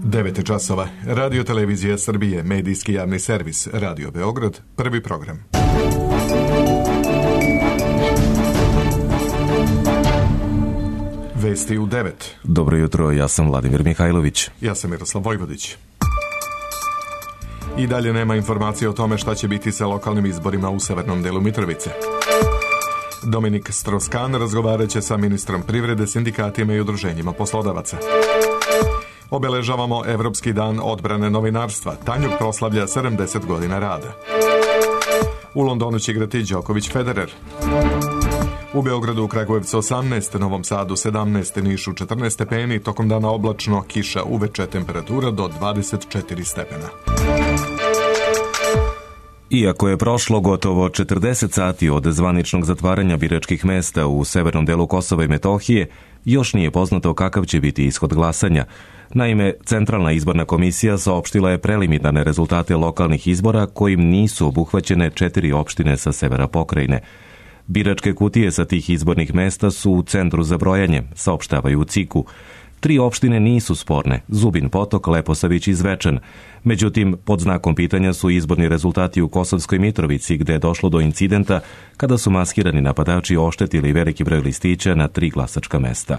9 časova. Radio Televizija Srbije, medijski javni servis, Radio Beograd, prvi program. Vesti u 9. Dobro jutro, ja sam Vladimir Mihajlović. Ja sam Miroslav Vojvodić. I dalje nema informacije o tome šta će biti sa lokalnim izborima u severnom delu Mitrovice. Dominik Stroskan razgovarat će sa ministrom privrede, sindikatima i udruženjima poslodavaca. Obeležavamo Evropski dan odbrane novinarstva. Tanjug proslavlja 70 godina rada. U Londonu će igrati Đoković Federer. U Beogradu, u Kragujevcu 18, Novom Sadu 17, Nišu 14 stepeni, tokom dana oblačno, kiša, uveče temperatura do 24 stepena. Iako je prošlo gotovo 40 sati od zvaničnog zatvaranja biračkih mesta u severnom delu Kosova i Metohije, još nije poznato kakav će biti ishod glasanja. Naime, Centralna izborna komisija saopštila je preliminarne rezultate lokalnih izbora kojim nisu obuhvaćene 4 opštine sa severa pokrajine. Biračke kutije sa tih izbornih mesta su u centru za brojanje, saopštavaju u CIK-u. 3 opštine nisu sporne, Zubin Potok, Leposavić i Zvečan. Međutim, pod znakom pitanja su izborni rezultati u Kosovskoj Mitrovici, gde je došlo do incidenta kada su maskirani napadači oštetili veliki broj listića na 3 glasačka mesta.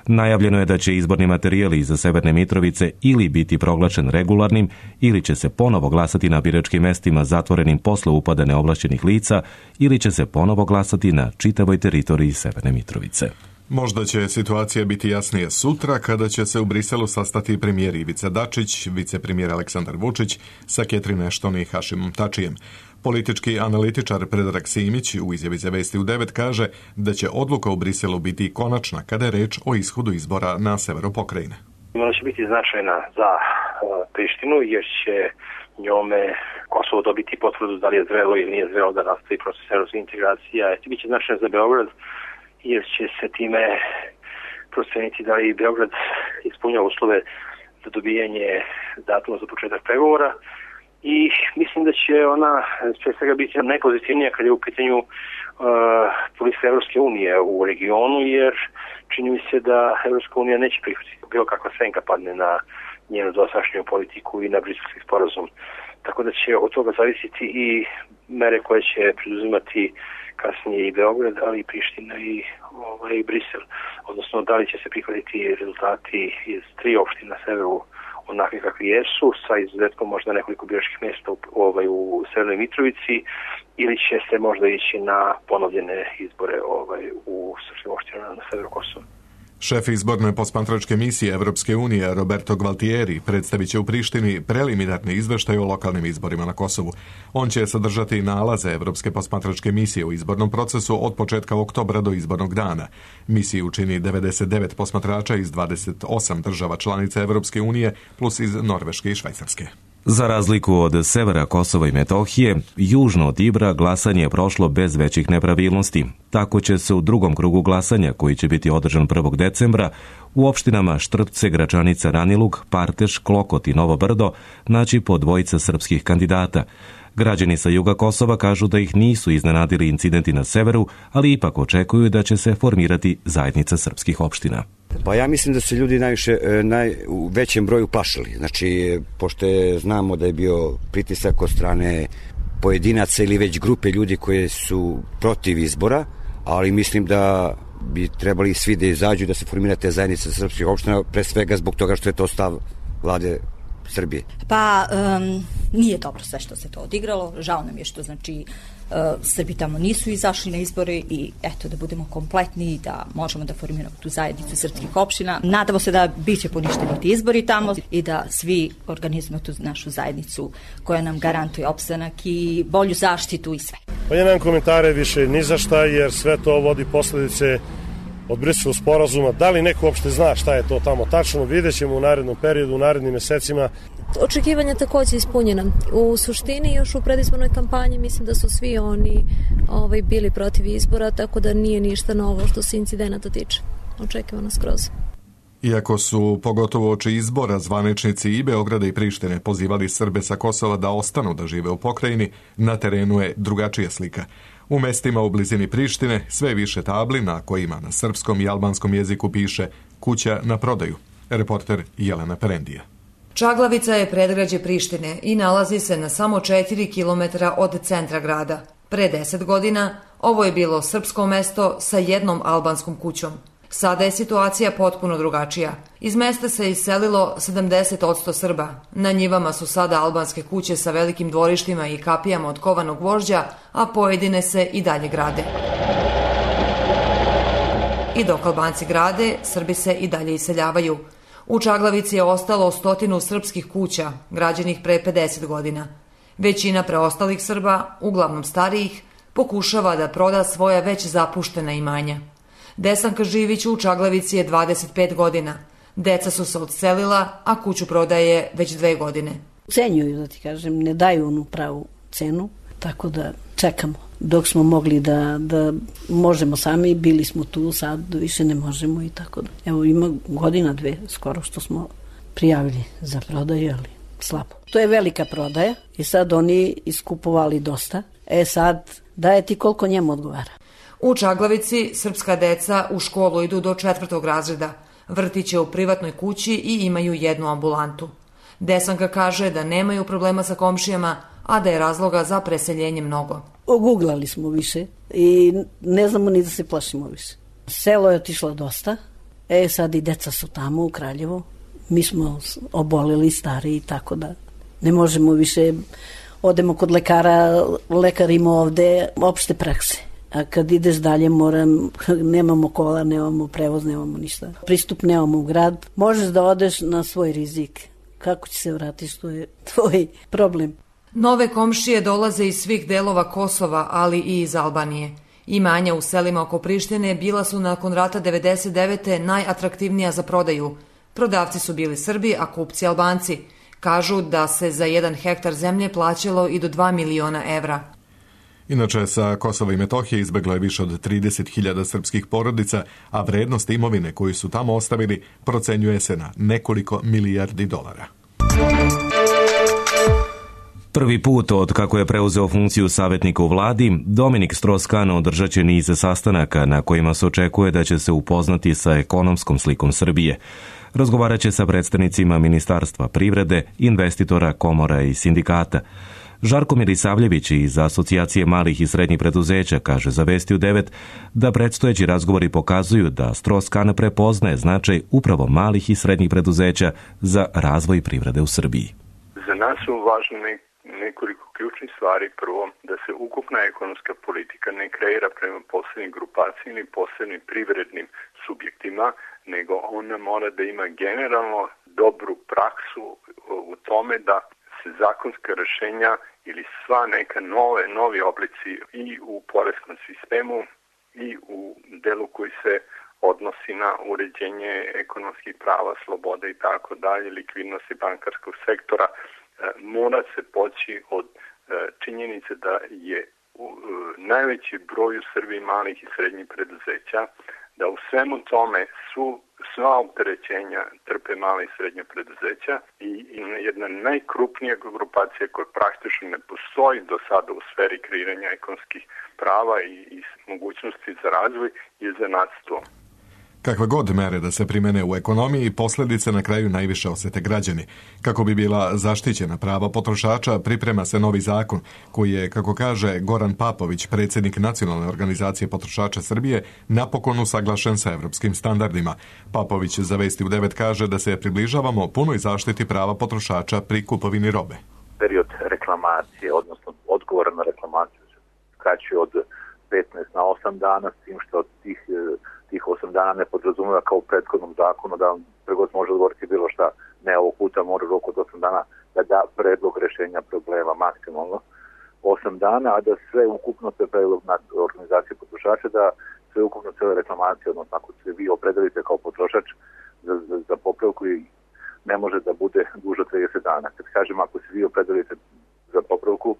Najavljeno je da će izborni materijali za Severne Mitrovice ili biti proglašen regularnim ili će se ponovo glasati na biračkim mestima zatvorenim posle upada neovlašćenih lica ili će se ponovo glasati na čitavoj teritoriji Severne Mitrovice. Možda će situacija biti jasnija sutra kada će se u Briselu sastati premijer Ivica Dačić, vicepremijer Aleksandar Vučić sa Catherine Ashton i Hašimom Tačijem. Politički analitičar Predrag Simić u izjavi za Vesti u 9 kaže da će odluka u Briselu biti konačna kada je reč o ishodu izbora na severu pokrajine. Ona će biti značajna za Prištinu jer će njome Kosovo dobiti potvrdu da li je zrelo ili nije zrelo da nastavi proces evropske integracije. Biće značajna za Beograd jer će se time proceniti da li Beograd ispunjava uslove za dobijanje datuma za početak pregovora. I mislim da će ona sve svega biti najpozitivnija kad je u pitanju politika Evropske unije u regionu, jer čini mi se da Evropska unija neće prihvatiti bilo kakva senka padne na njenu dosadašnju politiku i na briselski sporazum. Tako da će od toga zavisiti i mere koje će preduzimati kasnije i Beograd, ali i Priština i Brisel. Odnosno, da li će se prihvatiti rezultati iz 3 opštine na severu onakve kakvi jesu, sa izuzetkom možda nekoliko biračkih mjesta u Severnoj Mitrovici, ili će se možda ići na ponovljene izbore u srpskim opštinama na severu Kosova. Šef izborne posmatračke misije Evropske unije Roberto Gualtieri predstavit će u Prištini preliminarni izveštaj o lokalnim izborima na Kosovu. On će sadržati nalaze Evropske posmatračke misije u izbornom procesu od početka oktobra do izbornog dana. Misiju čini 99 posmatrača iz 28 država članica Evropske unije plus iz Norveške i Švajcarske. Za razliku od severa Kosova i Metohije, južno od Ibra glasanje je prošlo bez većih nepravilnosti. Tako će se u drugom krugu glasanja, koji će biti održan 1. decembra, u opštinama Štrpce, Gračanica, Ranilug, Parteš, Klokot i Novo Brdo naći po 2 srpskih kandidata. Građani sa juga Kosova kažu da ih nisu iznenadili incidenti na severu, ali ipak očekuju da će se formirati zajednica srpskih opština. Pa ja mislim da se ljudi u većem broju plašili. Znači, pošto znamo da je bio pritisak od strane pojedinaca ili već grupe ljudi koje su protiv izbora, ali mislim da bi trebali svi da izađu da se formira te zajednice srpskih opština, pre svega zbog toga što je to stav vlade Srbije. Pa nije dobro sve što se to odigralo. Žao nam je što Srbi tamo nisu izašli na izbore i eto da budemo kompletni i da možemo da formiramo tu zajednicu srpskih opština. Nadamo se da biće poništeni ti izbori tamo i da svi organizujemo tu našu zajednicu koja nam garantuje opstanak i bolju zaštitu i sve. Pa ja nemam komentare više ni za šta jer sve to vodi posledice od Briselskog sporazuma. Da li neko uopšte zna šta je to tamo tačno, vidjet ćemo u narednom periodu, u narednim mesecima. Očekivanja također ispunjena. U suštini još u predizbornoj kampanji mislim da su svi oni bili protiv izbora, tako da nije ništa novo što se incidenata tiče. Očekivano skroz. Iako su, pogotovo oči izbora, zvaničnici i Beograda i Prištine pozivali Srbe sa Kosova da ostanu da žive u pokrajini, na terenu je drugačija slika. U mestima u blizini Prištine sve više tabli na kojima na srpskom i albanskom jeziku piše kuća na prodaju. Reporter Jelena Perendija. Čaglavica je predgrađe Prištine i nalazi se na samo 4 km od centra grada. Pre 10 godina ovo je bilo srpsko mesto sa jednom albanskom kućom. Sada je situacija potpuno drugačija. Iz mesta se iselilo 70% Srba. Na njivama su sada albanske kuće sa velikim dvorištima i kapijama od kovanog gvožđa, a pojedine se i dalje grade. I dok Albanci grade, Srbi se i dalje iseljavaju. U Čaglavici je ostalo 100 srpskih kuća, građenih pre 50 godina. Većina preostalih Srba, uglavnom starijih, pokušava da proda svoja već zapuštena imanja. Desanka Živić u Čaglavici je 25 godina. Deca su se odselila, a kuću prodaje već 2 godine. Cenjuju, da ti kažem, ne daju onu pravu cenu, tako da čekamo. Dok smo mogli da možemo sami, bili smo tu, sad više ne možemo i tako da. Evo ima godina 2 skoro što smo prijavili za prodaju, ali slabo. To je velika prodaja i sad oni iskupovali dosta. Sad daje ti koliko njemu odgovara. U Čaglavici srpska deca u školu idu do 4. razreda, vrtiće u privatnoj kući i imaju jednu ambulantu. Desanka kaže da nemaju problema sa komšijama, a da je razloga za preseljenje mnogo. Oguglali smo više i ne znamo ni da se plašimo više. Selo je otišlo dosta, sad i deca su tamo u Kraljevu. Mi smo oboleli, stari, tako da ne možemo više. Odemo kod lekara, lekar ima ovde opšte prakse. A kad ideš dalje nemamo kola, nemamo prevoz, nemamo ništa. Pristup nemamo u grad. Možeš da odeš na svoj rizik. Kako će se vratiš, to je tvoj problem. Nove komšije dolaze iz svih delova Kosova, ali i iz Albanije. Imanja u selima oko Prištine bila su nakon rata 99. najatraktivnija za prodaju. Prodavci su bili Srbi, a kupci Albanci. Kažu da se za 1 hektar zemlje plaćalo i do 2 miliona evra. Inače, sa Kosova i Metohije izbeglo je više od 30.000 srpskih porodica, a vrednost imovine koju su tamo ostavili procenjuje se na nekoliko milijardi dolara. Prvi put od kako je preuzeo funkciju savjetnika u vladi, Dominik Strauss-Kahn održat će niz sastanaka na kojima se očekuje da će se upoznati sa ekonomskom slikom Srbije. Razgovarat će sa predstavnicima Ministarstva privrede, investitora, komora i sindikata. Žarko Milisavljević iz Asocijacije malih i srednjih preduzeća kaže za Vesti u 9 da predstojeći razgovori pokazuju da Strauss-Kahn prepoznaje značaj upravo malih i srednjih preduzeća za razvoj privrede u Srbiji. Za nas su važne nekoliko ključnih stvari. Prvo, da se ukupna ekonomska politika ne kreira prema posebnim grupacijama ili posebnim privrednim subjektima, nego ona mora da ima generalno dobru praksu u tome da se zakonska rešenja ili sva neka novi oblici i u poreskom sistemu i u delu koji se odnosi na uređenje ekonomskih prava, sloboda i tako dalje, likvidnosti bankarskog sektora, mora se poći od činjenice da je najveći broj u Srbiji malih i srednjih preduzeća, da u svemu tome sva opterećenja trpe male i srednje preduzeća i jedna najkrupnija grupacija koja praktično ne postoji do sada u sferi kreiranja ekonomskih prava i mogućnosti za razvoj je zanatstvo. Kakve god mere da se primene u ekonomiji, posljedice na kraju najviše osjete građani. Kako bi bila zaštićena prava potrošača, priprema se novi zakon, koji je, kako kaže Goran Papović, predsjednik Nacionalne organizacije potrošača Srbije, napokon usaglašen sa evropskim standardima. Papović za Vesti u 9 kaže da se približavamo punoj zaštiti prava potrošača pri kupovini robe. Period reklamacije, odnosno odgovora na reklamaciju se skraćuje od 15 na 8 dana, s tim što od tih 8 dana ne podrazumeva kao u prethodnom zakonu da trgovac može odgovoriti bilo šta. Ne, ovog puta mora rok od 8 dana da da predlog rešenja problema maksimalno 8 dana, a da sve ukupno se predlog na organizacije potrošača, da sve ukupno cele reklamacije, odnosno ako se vi opredelite kao potrošač za popravku i ne može da bude duže 30 dana. Kad kažem, ako se vi opredelite za popravku,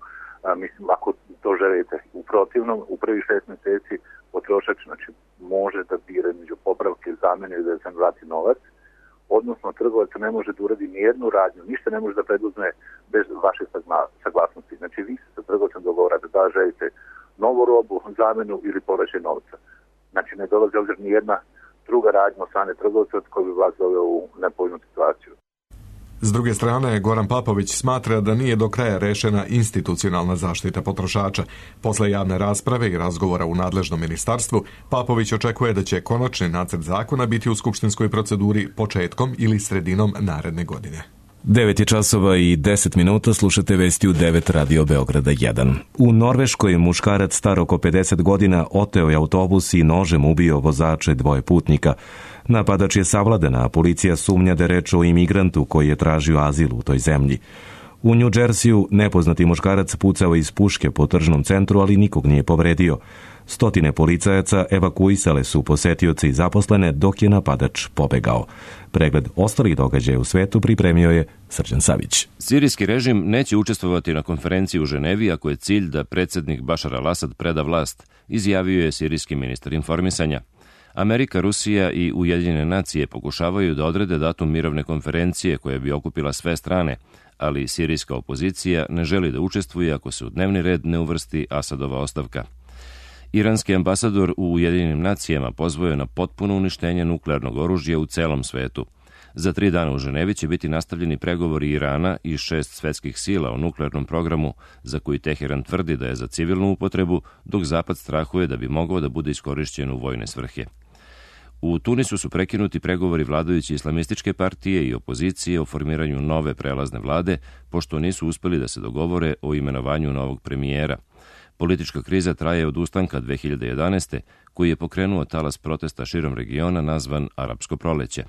mislim, ako to želite u protivnom, u prvih 6 mjeseci potrošač može da bira među popravke, zamene i da se vrati novac, odnosno trgovac ne može da uradi ni jednu radnju, ništa ne može da preduzme bez vaše saglasnosti. Znači vi se sa trgovcem dogovarate da želite novu robu, zamenu ili povraćaj novca. Znači ne dolazi ni jedna druga radnja od strane trgovca koji bi vas doveo u nepovoljnu situaciju. S druge strane, Goran Papović smatra da nije do kraja rešena institucionalna zaštita potrošača. Posle javne rasprave i razgovora u nadležnom ministarstvu, Papović očekuje da će konačni nacrt zakona biti u skupštinskoj proceduri početkom ili sredinom naredne godine. 9 je časova i 10 minuta, slušate vesti u 9 Radio Beograda 1. U Norveškoj muškarac star oko 50 godina oteo je autobus i nožem ubio vozače dvoje putnika. Napadač je savladan, a policija sumnja da je reč o imigrantu koji je tražio azil u toj zemlji. U New Jerseyju nepoznati muškarac pucao iz puške po tržnom centru, ali nikog nije povredio. Stotine policajaca evakuisale su posetioce i zaposlene dok je napadač pobegao. Pregled ostalih događaja u svetu pripremio je Srđan Savić. Sirijski režim neće učestvovati na konferenciji u Ženevi ako je cilj da predsjednik Bašar al-Asad preda vlast, izjavio je sirijski ministar informisanja. Amerika, Rusija i Ujedinjene nacije pokušavaju da odrede datum mirovne konferencije koja bi okupila sve strane, ali sirijska opozicija ne želi da učestvuje ako se u dnevni red ne uvrsti Asadova ostavka. Iranski ambasador u Ujedinjenim nacijama pozvao je na potpuno uništenje nuklearnog oružja u celom svetu. Za 3 dana u Ženevi će biti nastavljeni pregovori Irana i 6 svetskih sila o nuklearnom programu za koji Teheran tvrdi da je za civilnu upotrebu, dok Zapad strahuje da bi mogao da bude iskorišćen u vojne svrhe. U Tunisu su prekinuti pregovori vladajuće islamističke partije i opozicije o formiranju nove prelazne vlade, pošto nisu uspeli da se dogovore o imenovanju novog premijera. Politička kriza traje od ustanka 2011. koji je pokrenuo talas protesta širom regiona nazvan Arapsko proleće.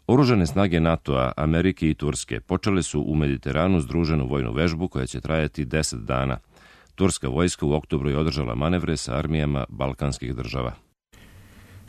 Oružane snage NATO-a, Amerike i Turske počele su u Mediteranu združenu vojnu vežbu koja će trajati 10 dana. Turska vojska u oktobru je održala manevre sa armijama balkanskih država.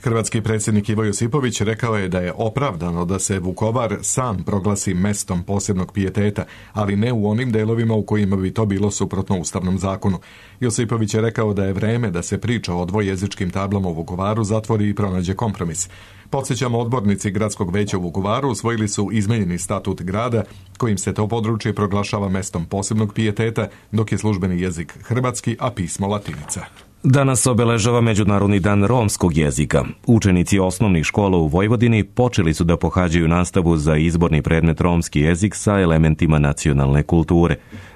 Hrvatski predsjednik Ivo Josipović rekao je da je opravdano da se Vukovar sam proglasi mestom posebnog pijeteta, ali ne u onim delovima u kojima bi to bilo suprotno ustavnom zakonu. Josipović je rekao da je vreme da se priča o dvojezičkim tablama u Vukovaru zatvori i pronađe kompromis. Podsjećamo, odbornici Gradskog veća u Vukovaru usvojili su izmenjeni statut grada kojim se to područje proglašava mestom posebnog pijeteta, dok je službeni jezik hrvatski, a pismo latinica. Danas obeležava Međunarodni dan romskog jezika. Učenici osnovnih škola u Vojvodini počeli su da pohađaju nastavu za izborni predmet romski jezik sa elementima nacionalne kulture.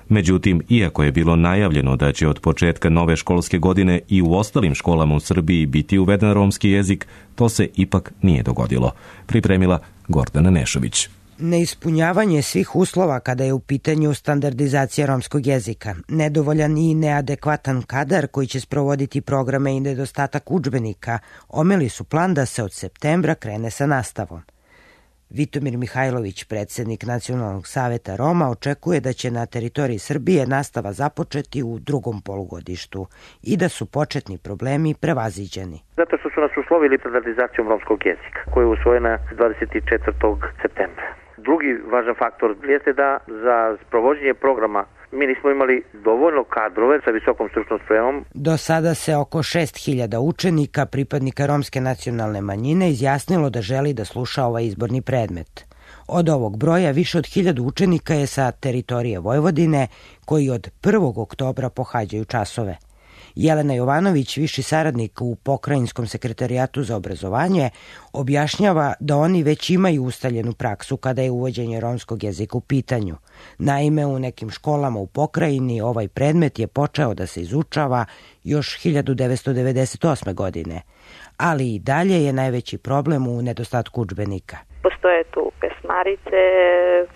Međutim, iako je bilo najavljeno da će od početka nove školske godine i u ostalim školama u Srbiji biti uveden romski jezik, to se ipak nije dogodilo. Pripremila Gordana Nešović. Neispunjavanje svih uslova kada je u pitanju standardizacija romskog jezika, nedovoljan i neadekvatan kadar koji će sprovoditi programe i nedostatak udžbenika omeli su plan da se od septembra krene sa nastavom. Vitomir Mihajlović, predsjednik Nacionalnog saveta Roma, očekuje da će na teritoriji Srbije nastava započeti u drugom polugodištu i da su početni problemi prevaziđeni. Zato što su nas uslovili standardizacijom romskog jezika, koja je usvojena 24. septembra. Drugi važan faktor jeste da za sprovođenje programa mi nismo imali dovoljno kadrove sa visokom stručnom spremom. Do sada se oko 6.000 učenika, pripadnika romske nacionalne manjine, izjasnilo da želi da sluša ovaj izborni predmet. Od ovog broja više od 1000 učenika je sa teritorije Vojvodine, koji od 1. oktobra pohađaju časove. Jelena Jovanović, viši saradnik u Pokrajinskom sekretarijatu za obrazovanje, objašnjava da oni već imaju ustaljenu praksu kada je uvođenje romskog jezika u pitanju. Naime, u nekim školama u pokrajini ovaj predmet je počeo da se izučava još 1998. godine, ali i dalje je najveći problem u nedostatku udžbenika. Postoje tu pesmarice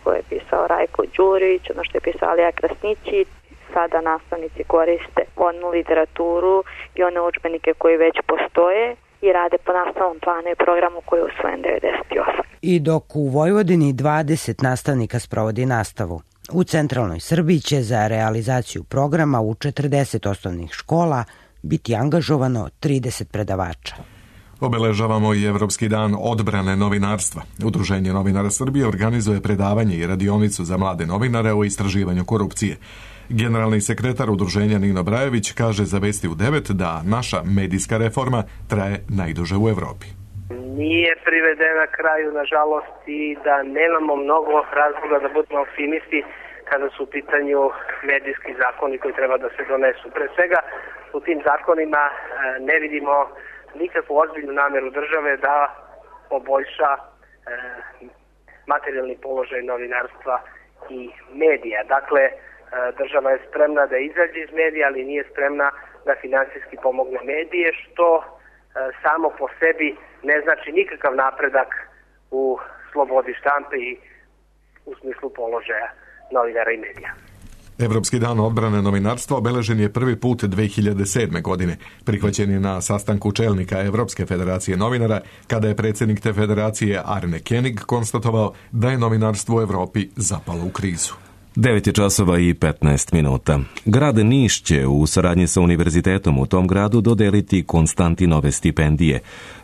koje je pisao Rajko Đurić, ono što je pisao Alija Krasnići. Sada nastavnici koriste onu literaturu i one udžbenike koji već postoje i rade po nastavnom planu i programu koji je usvojen 98. I dok u Vojvodini 20 nastavnika sprovodi nastavu, u centralnoj Srbiji će za realizaciju programa u 40 osnovnih škola biti angažovano 30 predavača. Obeležavamo i Evropski dan odbrane novinarstva. Udruženje novinara Srbije organizuje predavanje i radionicu za mlade novinare o istraživanju korupcije. Generalni sekretar udruženja Nino Brajević kaže za Vesti u 9 da naša medijska reforma traje najduže u Evropi. Nije privedena kraju, nažalost, i da nemamo mnogo razloga da budemo optimisti kada su u pitanju medijski zakoni koji treba da se donesu. Pre svega, u tim zakonima ne vidimo nikakvu ozbiljnu nameru države da poboljša materijalni položaj novinarstva i medija. Dakle, država je spremna da izađe iz medija, ali nije spremna da finansijski pomogne medije, što samo po sebi ne znači nikakav napredak u slobodi štampe i u smislu položaja novinara i medija. Evropski dan odbrane novinarstva obeležen je prvi put 2007. godine. Prihvaćen je na sastanku čelnika Evropske federacije novinara, kada je predsjednik te federacije Arne Koenig konstatovao da je novinarstvo u Evropi zapalo u krizu. 9:15. Grad Niš će u saradnji sa univerzitetom u tom gradu dodeliti Konstantinove stipendije.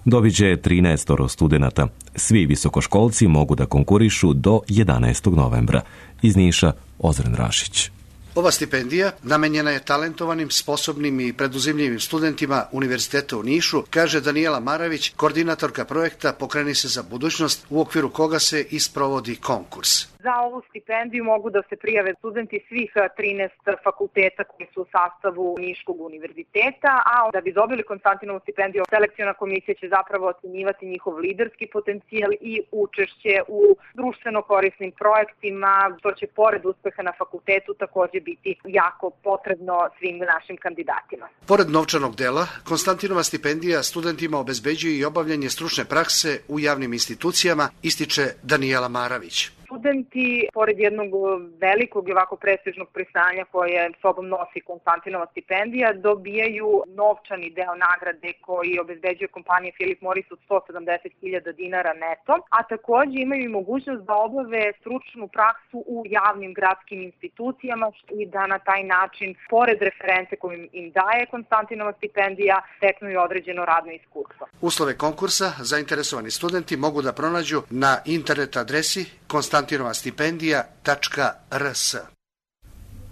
Dobit će 13 studenata. Svi visokoškolci mogu da konkurišu do 11. novembra. Iz Niša, Ozren Rašić. Ova stipendija namenjena je talentovanim, sposobnim i preduzimljivim studentima Univerziteta u Nišu, kaže Danijela Maravić, koordinatorka projekta Pokreni se za budućnost, u okviru koga se isprovodi konkurs. Za ovu stipendiju mogu da se prijave studenti svih 13 fakulteta koji su u sastavu Niškog univerziteta, a da bi dobili Konstantinovu stipendiju, selekciona komisija će zapravo ocenjivati njihov liderski potencijal i učešće u društveno korisnim projektima, što će pored uspeha na fakultetu takođe biti jako potrebno svim našim kandidatima. Pored novčanog dela, Konstantinova stipendija studentima obezbeđuje i obavljanje stručne prakse u javnim institucijama, ističe Danijela Maravić. Studenti, pored jednog velikog i ovako prestižnog priznanja koje sobom nosi Konstantinova stipendija, dobijaju novčani deo nagrade koji obezbeđuje kompanija Philip Morris od 170.000 dinara neto, a takođe imaju i mogućnost da obave stručnu praksu u javnim gradskim institucijama i da na taj način, pored reference koju im daje Konstantinova stipendija, steknu i određeno radno iskustvo. Uslove konkursa zainteresovani studenti mogu da pronađu na internet adresi konstantinovastipendija.rs.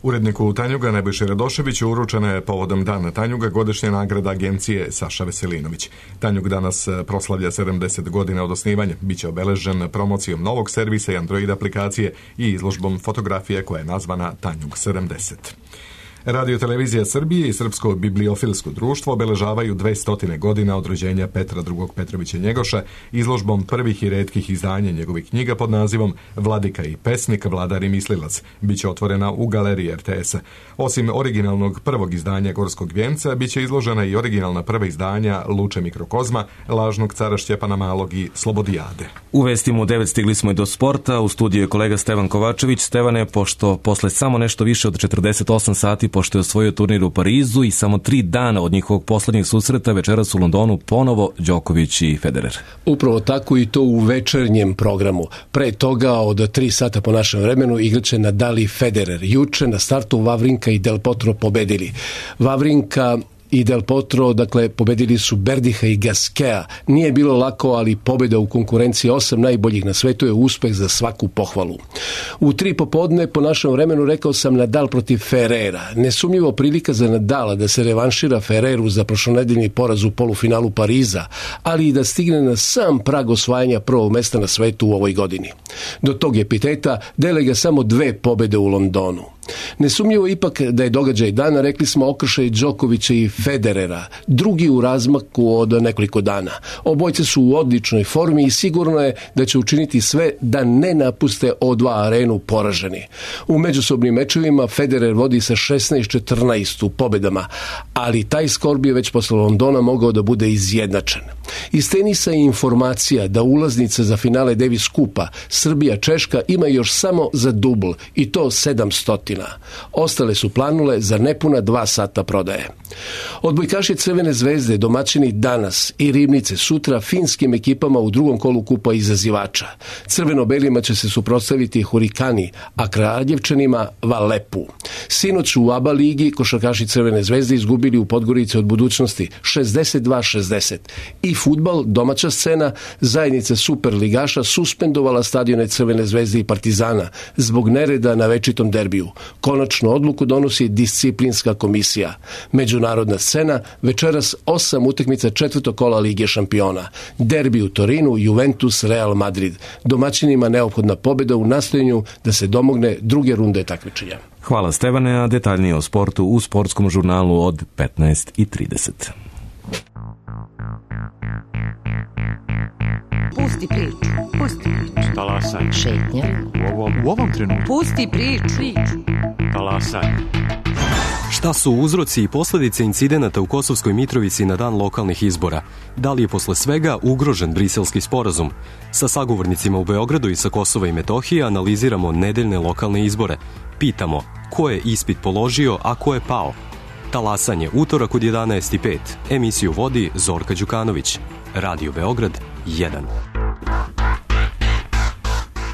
Uredniku Tanjuga Nebojši Radoševiću uručena je povodom Dana Tanjuga godišnja nagrada agencije Saša Veselinović. Tanjug danas proslavlja 70 godina od osnivanja. Biće obeležen promocijom novog servisa i Android aplikacije i izložbom fotografije koja je nazvana Tanjug 70. Radio Televizija Srbije i Srpsko bibliofilsko društvo obeležavaju 200 godina od rođenja Petra II. Petrovića Njegoša izložbom prvih i retkih izdanja njegovih knjiga pod nazivom Vladika i pesnik, vladar i mislilac. Biće otvorena u galeriji RTS-a. Osim originalnog prvog izdanja Gorskog vijenca, biće izložena i originalna prva izdanja Luče mikrokozma, Lažnog cara Šćepana Malog i Slobodijade. U vestima u 9 stigli smo i do sporta. U studiju je kolega Stevan Kovačević. Stevane, pošto posle samo nešto više od 48 sati pošto je osvojio turnir u Parizu i samo 3 dana od njihovog poslednjeg susreta, večeras u Londonu ponovo Đoković i Federer. Upravo tako i to u večernjem programu. Pre toga od 3 sata po našem vremenu igraće Nadal i Federer. Juče na startu Wawrinka i Del Potro pobedili. Wawrinka i Del Potro, dakle, pobedili su Berdiha i Gaskea. Nije bilo lako, ali pobjeda u konkurenciji 8 najboljih na svetu je uspeh za svaku pohvalu. U 3 popodne po našem vremenu rekao sam Nadal protiv Ferrera. Nesumnjivo prilika za Nadala da se revanšira Ferreru za prošlonedeljni poraz u polufinalu Pariza, ali i da stigne na sam prag osvajanja prvog mesta na svetu u ovoj godini. Do tog epiteta dele ga samo 2 pobjede u Londonu. Nesumnjivo ipak da je događaj dana, rekli smo, okršaj Đokovića i Federera, drugi u razmaku od nekoliko dana. Obojce su u odličnoj formi i sigurno je da će učiniti sve da ne napuste O2 arenu poraženi. U međusobnim mečevima Federer vodi sa 16-14 u pobedama, ali taj skor bi već posle Londona mogao da bude izjednačen. Iz tenisa je informacija da ulaznice za finale Davis Kupa Srbija-Češka ima još samo za dubl i to 700. Ostale su planule za nepuna 2 sata prodaje. Odbojkaši Crvene zvezde domaćini danas i Ribnice sutra finskim ekipama u drugom kolu kupa izazivača. Crveno-belima će se suprotstaviti Hurikani, a Kraljevčanima Valepu. Sinoć u ABA ligi košarkaši Crvene zvezde izgubili u Podgorici od Budućnosti 62-60. I fudbal, domaća scena, zajednica superligaša suspendovala stadione Crvene zvezde i Partizana zbog nereda na večitom derbiju. Konačnu odluku donosi disciplinska komisija. Međunarodna scena, večeras 8 utakmica 4. kola Lige šampiona. Derbi u Torinu, Juventus, Real Madrid. Domaćinima neophodna pobjeda u nastojanju da se domogne druge runde takmičenja. Hvala Stevane, a detaljnije o sportu u sportskom žurnalu od 15:30. Pusti priču. Pusti priču. Talasaj. Šetnja. U ovom trenutku. Pusti priču. Talasaj. Šta su uzroci i posljedice incidenata u Kosovskoj Mitrovici na dan lokalnih izbora? Da li je posle svega ugrožen Briselski sporazum? Sa sagovornicima u Beogradu i sa Kosova i Metohije analiziramo nedeljne lokalne izbore. Pitamo ko je ispit položio, a ko je pao? Talasanje, utorak od 11:05. Emisiju vodi Zorka Đukanović. Radio Beograd 1.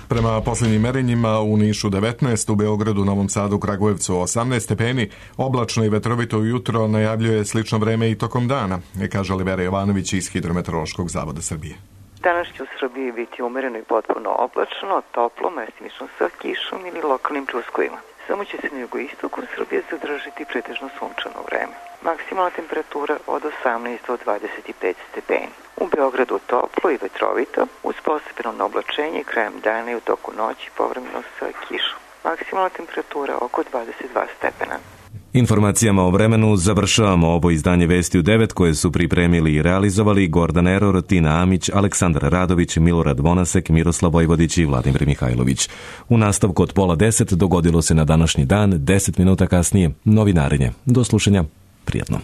Prema posljednjim merenjima u Nišu 19, u Beogradu, Novom Sadu, Kragujevcu 18 stepeni, oblačno i vetrovito ujutro najavljuje slično vreme i tokom dana, kaže Olivera Jovanović iz Hidrometeorološkog zavoda Srbije. Danas će u Srbiji biti umereno i potpuno oblačno, toplo, mestimično sa kišom ili lokalnim čuskovima. Samo će se na jugoistoku Srbije zadržati pretežno sunčano vreme. Maksimalna temperatura od 18 do 25 stepeni. U Beogradu toplo i vetrovito, uz postepeno oblačenje krajem dana i u toku noći povremeno sa kišom. Maksimalna temperatura oko 22 stepena. Informacijama o vremenu završavamo ovo izdanje Vesti u 9 koje su pripremili i realizovali Gordan Eror, Tina Amić, Aleksandar Radović, Milorad Vonasek, Miroslav Vojvodić i Vladimir Mihajlović. U nastavku od 9:30 dogodilo se na današnji dan, 10 minuta kasnije, novinarenje. Do slušanja, prijatno.